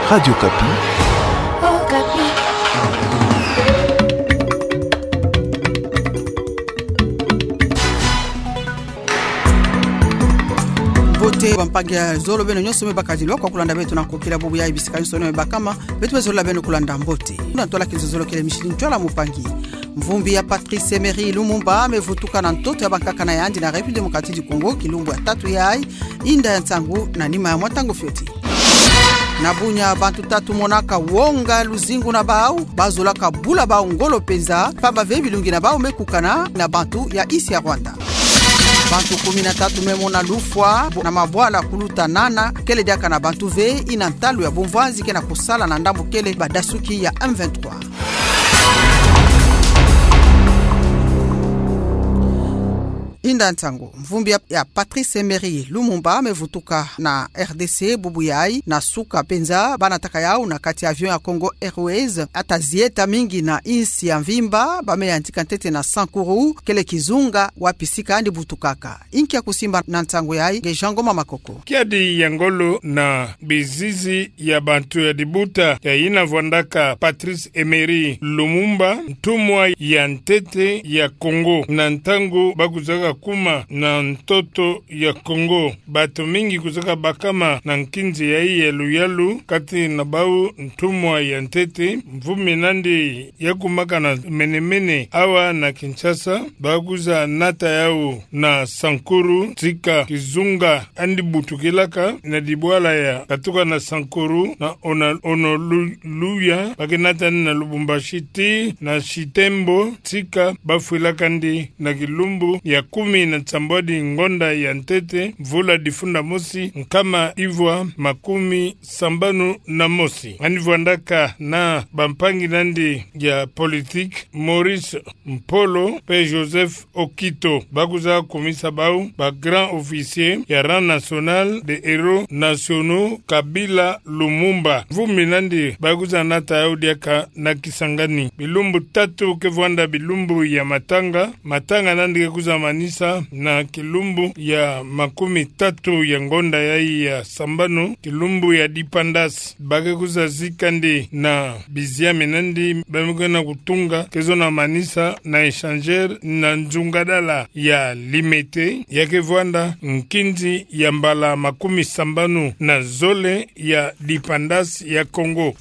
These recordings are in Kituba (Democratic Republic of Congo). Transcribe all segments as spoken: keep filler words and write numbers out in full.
Radio Okapi. Okapi. Mbote bampangi ya zolo, beno nyonso me bakadilwa kwa kulanda beto na nkokila bubu ya bisika nyonso me bakama, beto me zolila beno kulanda mbote. Na ntwala kinzozolo kele Micheline Ntwala Mupangi. Mvumbi ya Patrice Emery Lumumba me vutuka na ntoto ya bankaka na yandi na République Démocratique du Congo kilumbu ya tatu yayi, inda ya nsangu na nima ya mwa ntangu fioti. Na Bunia, bantu tatu monaka wonga luzingu na bau, bazolaka bula bau ngolo mpenza, pamba ve bilungi na bau me kukana na bantu ya insi ya Rwanda. Bantu kumi na tatu me mona lufwa na mabwala kuluta nana, kele diaka na bantu ve, ina ntalu ya bumvwanzi ke na kusala na ndambu kele badasuki ya M vingt-trois. Inda nsangu, mvumbi ya, ya Patrice Emery Lumumba me vutuka na R D C bubu yayi, na suka mpenza, banataka yau na kati ya avion ya Congo Airways, ata zieta mingi na insi ya mvimba, ba me yantika ntete na Sankuru, kele kizunga wapi sika andi butukaka. Inki ya kusimba na nsangu yayi, nge Jean Ngoma Makoko. Kiadi ya ngolo na bizizi ya bantu ya dibuta ya yina vwandaka Patrice Emery Lumumba, ntumwa ya ntete ya Congo, na ntangu ba kuzaka kuma na ntoto ya Congo. Bato mingi kuzaka bakama na nkinzi yayi ya luyalu, kati na bau ntumwa ya ntete, mvumi nandi ya kumaka na mene-mene awa na Kinshasa, ba kuza nata yau na Sankuru, tika kizunga andi butukilaka na dibwala ya katuka na Sankuru, na Ona-, Honoluluya, ba ke nata na Lubumbashi tii na Chitembwe, tika ba fwilakandi na kilumbu ya kumi na nsambwadi ngonda ya ntete, mvula difunda mosi, nkama ivwa makumi sambanu na mosi. Andi vwandaka na bampangi nandi ya politique, Maurice Mpolo mpe Joseph Okito, ba kuza kumisa bau ba grand officier ya rang national des héros nationaux Kabila Lumumba. Mvumi nandi ba kuza nata yau diaka na Kisangani. Bilumbu tatu ke vwanda bilumbu ya matanga. Matanga nandi ke kuza manisa na kilumbu ya makumi tatu ya ngonda yayi ya sambanu, kilumbu ya dipendance. Ba ke kuza zikandi na biziami nandi ba me ke na kutunga, ke zona manisa na échangeur na nzungadala ya Limete, ya ke vwanda nkinzi ya mbala makumi sambanu na zole ya dipendance ya Congo.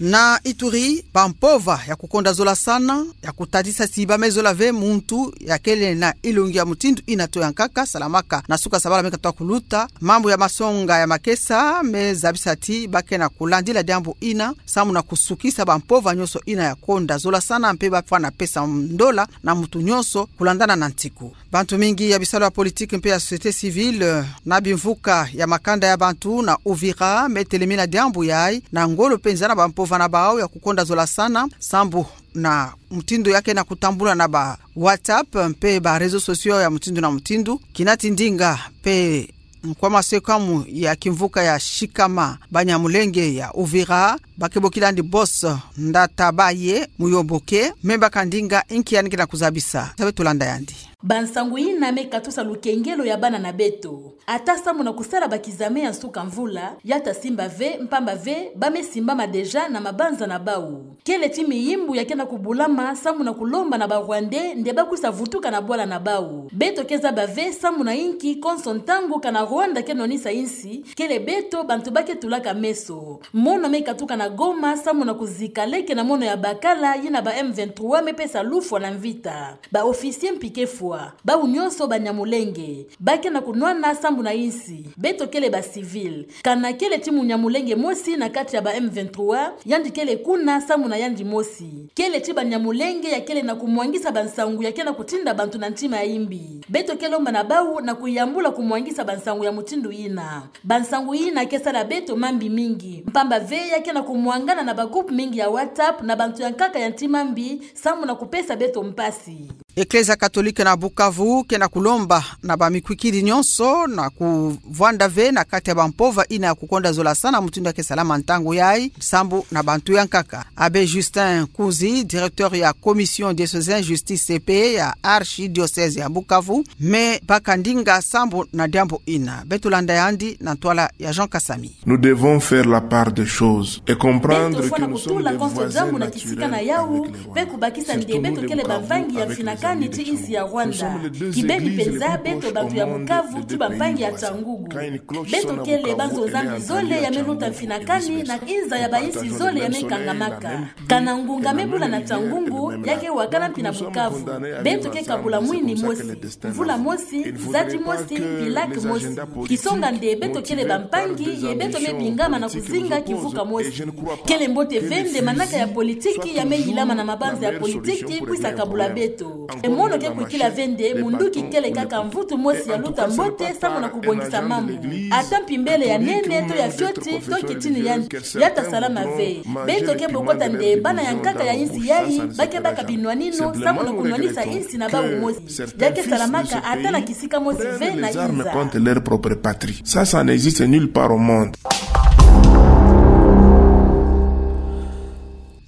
Na Ituri, bampova ya kukonda zolasana, ya kutadisa si ba me zola ve muntu ya kele na ilongi ya mutindu ina to ya nkaka, salamaka na suka sabala me katoa kuluta. Mambu ya masonga ya makesa me zabisa ti ba ke na kulandila diambu ina, samu na kusukisa bampova nyonso ina ya konda zolasana, mpe ba fwana pesa ndola na muntu nyonso kulandana na ntiku. Bantu mingi ya bisalu ya politique mpe ya société civile, eh, na bimvuka ya makanda ya bantu na Uvira, me telemina diambu yayi na ngolo mpenza na bampova na bau ya kukonda zolasana, sambu na mutindu ya ke na kutambula na ba WhatsApp mpe ba réseaux sociaux ya mutindu na mutindu. Kinati ndinga mpe nkwa masekamu ya kimvuka ya Shikama Banyamulenge ya Uvira, ba ke bokilandi Boss Ndatabaye Muyoboke, me baka ndinga inki yandi ke na kuzabisa. Sabe tulanda yandi. Bansangu ina me katusa lukengelo ya bana na beto. Ata samu na kusala ba kizame ya nsuka mvula, ya ta simba ve, mpamba ve ba me simbama déjà na mabanza na bau. Kele ti miyimbu ya ke na kubulama samu na kulomba na ba Rwandais nde ba kusa vutuka na bwala na bau. Beto ke zaba ve samu na inki konso ntangu kana Rwanda ke nwanisa insi, kele beto bantu ba ke tulaka meso. Mono me katuka na Goma samu na kuzika leke na mono ya bakala yina ba M vingt-trois me pesa lufwa na mvita. Ba officier mpike fwa, bau nyonso Banyamulenge. Ba ke na kunwana sambu na insi. Beto kele ba civil. Kana kele ti Munyamulenge mosi na kati ya ba M vingt-trois, yandi kele kuna sambu na yandi mosi. Kele ti Banyamulenge ya kele na kumwangisa bansangu ya ke na kutinda bantu na ntima ya imbi. Beto ke lomba na bau na kuyambula kumwangisa bansangu ya mutindu ina. Bansangu ina ke sala beto mambi mingi. Mpamba ve ya ke na kumwangana na ba groupe mingi ya WhatsApp na bantu ya nkaka ya ntima mbi sambu na kupesa beto mpasi. Eklezia katolike na Bukavu ke na kulomba na bamikwikidi nyonso na kuvwanda ve na kati ya bampova ina ya kukonda zolasana mutindu ya ke salama ntangu yayi, sambu na bantu ya nkaka. Abbé Justin Kunzi, directeur ya Commission diocésaine justice et paix ya archidiocèse ya Bukavu, me baka ndinga sambu na diambu ina. Beto landa yandi na ntwala ya Jean Kasami. Nous devons faire la part des choses et comprendre que nous sommes des voisins naturels avec les Rwandais. Beto fwana kutula konso diambu na kisika na yawu, pe kubakisa nde beto kele bampangi ya mfinakani ti insi ya Rwanda. Kibeni penza beto bantu ya Bukavu ti bampangi ya ntangugu. Beto kele banzo-Nzambi zole ya me luta mfinakani na inza ya bainsi zole ya me kangamaka. Kana ngunga me bula na ntangugu, ya ke wakana mpi na Bukavu. Beto ke kabula mwini mosi, mvula mosi, nzadi mosi, mpi laki mosi. Kisonga nde beto kele bampangi, ye beto me bingama na kuzinga kivuka mosi. Kele mbote ve nde manaka ya politiki ya me yilama na mabanza ya politiki kwisa kabula beto. E mono ke kwikila ve nde munduki kele kaka mvutu mosi ya luta mbote sambu na kubongisa mambu. Ata mpi mbele ya nene to ya fioti, to kitini yandi, ya ta salama ve. Beto ke bokota nde bana ya nkaka ya insi yayi, ba ke baka binwanino, sambu na kunwanisa insi na bawu mosi. Ya ke salamaka ata na kisika mosi ve na inza. Contre leur propre patrie. Ça, ça n'existe nulle part au monde.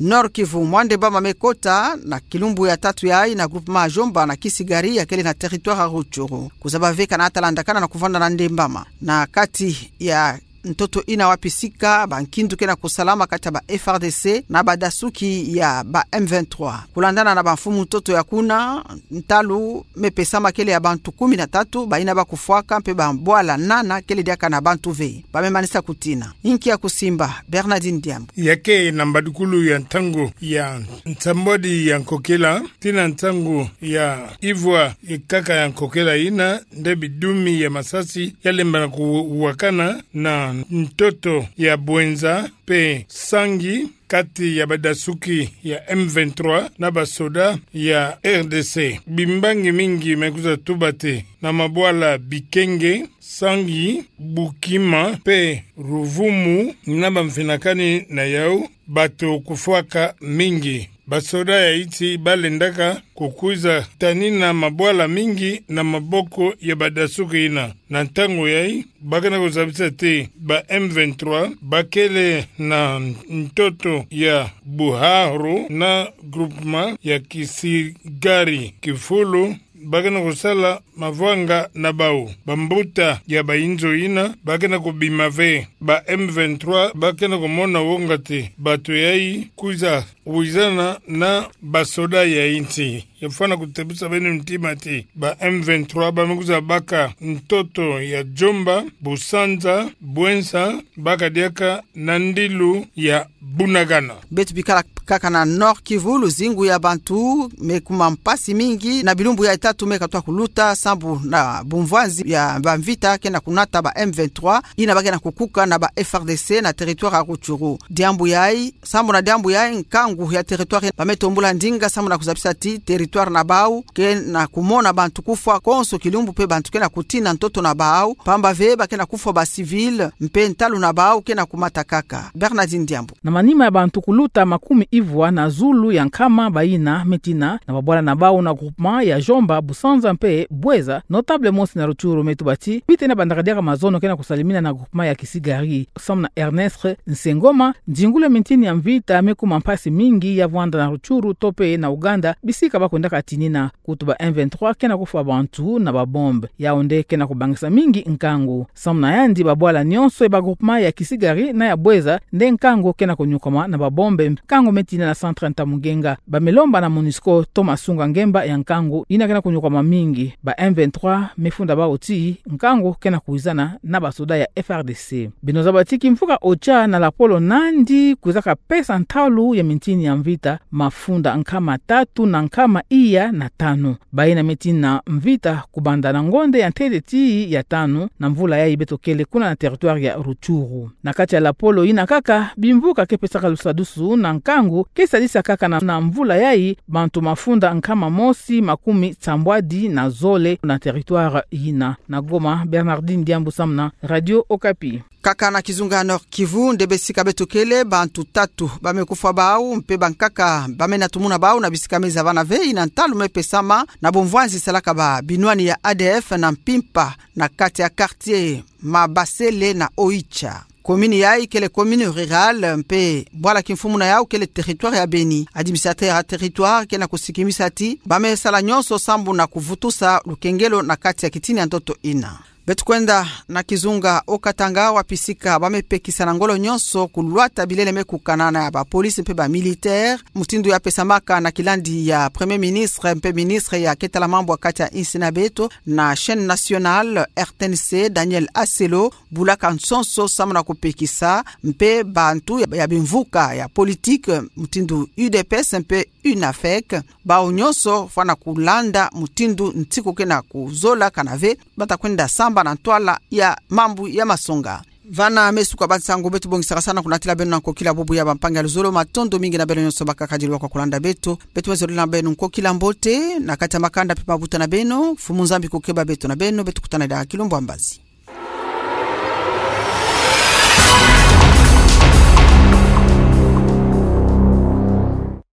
Nord-Kivu, mwa ndembama me kota na kilumbu ya tatu yayi na groupement ya Djomba na Kisigari ya kele na territoire ya Rutshuru. Kuzaba ve kana ata landakana na kuvanda na ndembama na kati ya ntoto ina wapi sika bankindu ke na kusalama kati ya ba F R D C na badasuki ya ba M vingt-trois. Kulandana na bamfumu ntoto ya kuna, ntalu me pesama kele ya bantu kumi na tatu, bayina ba kufwaka mpe bambwala nana kele diaka na bantu ve. Ba me manisa kutina. Inki ya kusimba, Bernardine Diambu. Ya ke na mbadukulu ya ntangu ya nsambwadi ya nkokela, tii na ntangu ya ivwa ya nkaka ya nkokela ina, nde bidumi ya masasi ya lembana kuwakana na ntoto ya Bouenza mpe Sangi, kati ya badasuki ya M vingt-trois na basoda ya R D C. Bimbangi mingi me kwiza tubate na mabwala Bikenge, Sangi, Bukima mpe Ruvumu, na bamfinakani na yawu, bato kufwaka mingi. Basoda ya insi ba lendaka kukwiza tanina mabwala mingi na maboko ya badasuki ina. Na ntangu yayi, ba ke na kuzabisa ti ba M vingt-trois ba kele na ntoto ya Buhahru na groupement ya Kisigari, kifulu ba ke na kusala mavwanga na bawu. Bambuta ya bayinzo yina ba ke na kubima ve. Ba M vingt-trois ba ke na kumona wonga ti bato yayi kwiza wizana na basoda ya insi. Ya fwana kutebusa beno ntima ti ba M vingt-trois ba me kwiza baka ntoto ya Djomba, Busanza, Bouenza, baka diaka na ndilu ya Bunagana. Beto bikala kaka na Nord-Kivu, luzingu ya bantu me kuma mpasi mingi na bilumbu ya tatu me katuka kuluta, sambu na bumvwanzi ya bamvita ke na kunata ba M vingt-trois yina ba ke na kukuka na ba F R D C na territoire ya Rutshuru. Diambu yayi, sambu na diambu yayi, nkangu ya territoire ba me tombula ndinga sambu na kuzabisa ti territoire na bawu ke na kumona bantu kufwa konso kilumbu mpe bantu ke na kutina ntoto na bawu, pamba ve ba ke na kufwa ba civil, mpe ntalu na bawu ke na kumata kaka. Bernardine Diambu. Na manima ya bantu kuluta makumi ivwa na zulu ya nkama bayina me tina na babwala na bawu na groupement ya Djomba, Busanza mpe Bouenza, notable mosi na Rutshuru me tuba ti pwete na bandaka diaka mazono ke na kusalimina na groupement ya Kisigari. Samu na Ernest Nsengoma, nzingulu ya mintini ya mvita me kuma mpasi mingi ya vwanda na Rutshuru to mpe na Ouganda, bisika ba kwendaka tinina. Kutu ba M vingt-trois ke na kufwa bantu na ba bombe. Yawu nde ke na kubangisa mingi nkangu. Samu na yandi, babwala nyonso ya ba groupement ya Kisigari na ya Bouenza nde nkangu ke na kunyokama na ba bombe, nkangu me tina na centre Ntamugenga. Ba me lomba na MONUSCO to masunga ngemba ya nkangu yina ke na kunyokama mingi. Ba M vingt-trois me funda bawu ti nkangu ke na kuwizana na basoda ya F R D C. Beno zaba ti kimvuka Ocha na lapolo nandi kwizaka pesa ntalu ya mintini ya mvita mafunda nkama tatu na nkama iya na tanu. Bayina me tina mvita kubanda na ngonde ya ntete tii ya tanu na mvula yayi beto kele kuna na territoire ya Rutshuru. Na kati ya lapolo yina kaka, bimvuka ke pesaka lusadusu na nkangu ke sadisa kaka na, na mvula yayi bantu mafunda nkama mosi makumi sambwadi na zole na territoire yina. Na Goma, Bernardine Diambu samu na Radio Okapi. Kaka na kizunga Nord-Kivu nde besika beto kele, bantu tatu bamekufwa bau mpe bankaka bamena tumuna bau na bisika meza bana veyi na ntalu mepesama na bomvwanzi salaka ba binwani ya A D F na mpimpa na kati ya quartier Mabasele na Oicha. Commune yayi kele commune rurale mpe bwala kimfumu na yau kele territoire ya Beni. Administrateur ya territoire kena kusikimisa ti bamesala nyonso sambu na kuvutusa lukengelo na kati ya kitini ya ntoto ina. Beto kwenda na kizunga Haut-Katanga, wapi sika bamepekisa na ngolo nyonso kulwata bilele mekukana na ya bapolisi mpe bamilitaire, mutindu ya pesamaka na kilandi ya Premier Ministre mpe ministre ya ketala mambu ya kati ya insi na beto na chaîne nationale R T N C, Daniel Aselo, bulaka nsonso sambu na kupekisa mpe bantu ya, ya bimvuka ya politique, mutindu U D P S mpe UNAFEC, bau nyonso fwana kulanda mutindu nsiku kena kuzola kana ve bata kwenda samba na ntwala ya mambu ya masonga. Vana mesuka ba nsangu beto bongisaka sana kunatila beno na nkokila bubu ya bampangi ya luzolo. Matondo mingi na beno nyonso bakakadilwa kwa kulanda beto. Beto mezolele na beno nkokila mbote na kati ya makanda mpe mabuta na beno. Mfumu Nzambi kukeba beto na beno, beto kutana diaka kilumbu ya mbazi.